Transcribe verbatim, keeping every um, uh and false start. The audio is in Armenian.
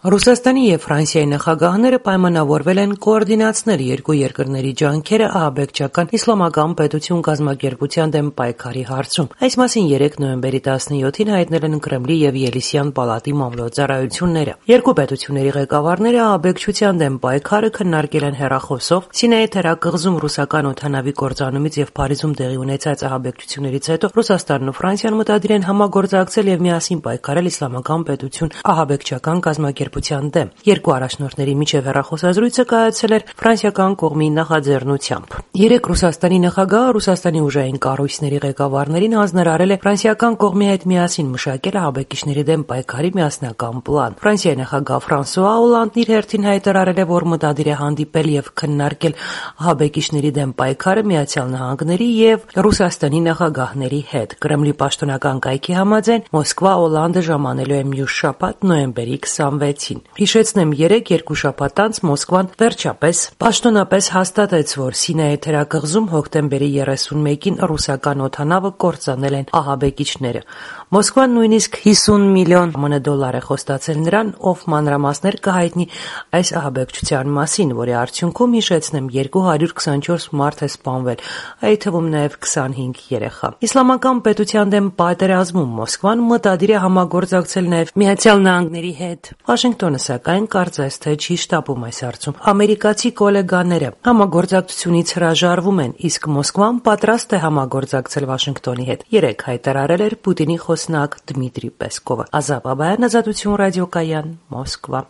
Ռուսաստանի և Ֆրանսիայի նախագահները պայմանավորվել են կոորդինացնել երկու երկրների ջանքերը ահաբեկչական իսլամական պետություն կազմակերպության դեմ պայքարի հարցում։ Այս մասին երեկ նոյեմբերի տասնյոթին հայտնել են Կրեմլի և Ելիսյան պալատի մամլոյ-ծառայությունները։ Երկու պետությունների ղեկավարները ահաբեկչության դեմ պայքարը քննարկել են հեռախոսով Սինայի թերակղզում ռուսական օդանավի կործանումից և Փարիզում տեղի ունեցած ահաբեկչություններից հետո Ռուսաստանն ու Ֆրանսիան մտադիր են համագործակցել և միասին պայքարել իսլամական պետություն ահաբեկչական կազմակերպության դեմ։ Երկու առաջնորդների միջև հեռախոսազրույցը կայացել էր ֆրանսիական կողմի նախաձեռնությամբ։ Երեկ Ռուսաստանի նախագահը Ռուսաստանի ուժային կառույցների ղեկավարներին հանձնարարել է ֆրանսիական կողմի հետ միասին մշակել ահաբեկիչների դեմ պայքարի միասնական պլան։ Ֆրանսիայի նախագահ Ֆրանսուଆ Օլանդն իր հերթին հայտարարել է, որ մտադիր է հանդիպել և քննարկել ահաբեկիչների դեմ պայքարը Միացյալ Նահանգների և Ռուսաստանի նախագահների հետ։ Կրեմլի պաշտոնական կայքի համաձայն Մոսկվա Օլանդը ժամանելու է մյուս շաբաթ նոյեմբերի քսանվեցին։ Հիշեցնեմ, երեկ երկու շաբաթ անց Մոսկվան վերջապես պաշտոնապես հաստատեց, որ Սինայի թերակղզում հոկտեմբերի երեսունմեկին ռուսական օդանավը կործանել են ահաբեկիչները։ Մոսկվան նույնիսկ հիսուն միլիոն ԱՄՆ դոլար է խոստացել նրան, ով մանրամասներ կհայտնի այս ահաբեկչության մասին, որի արդյունքում, հիշեցնեմ, երկու հարյուր քսանչորս մարդ է սպանվել, այդ թվում նաև քսանհինգ երեխա։ Իսլամական պետության դեմ պատերազմում Մոսկվան մտադիր է համագործակցել նաև Միացյալ Նահանգների հետ։ Վաշինգտոնը, սակայն, կարծես թե չի շտապում այս հարցում։ Ամերիկացի գոլեգաները համագործակցությունից հրաժարվում են, իսկ Մոսկվան պատրաստ է համագործակցել Վաշինգտոնի հետ, երեկ հայտարարել էր Պուտինի խոսնակ Դմիտրի Պեսկովը։ Ազատ Բաբայան, Ազատություն ռադիոկայան, Մոսկվա։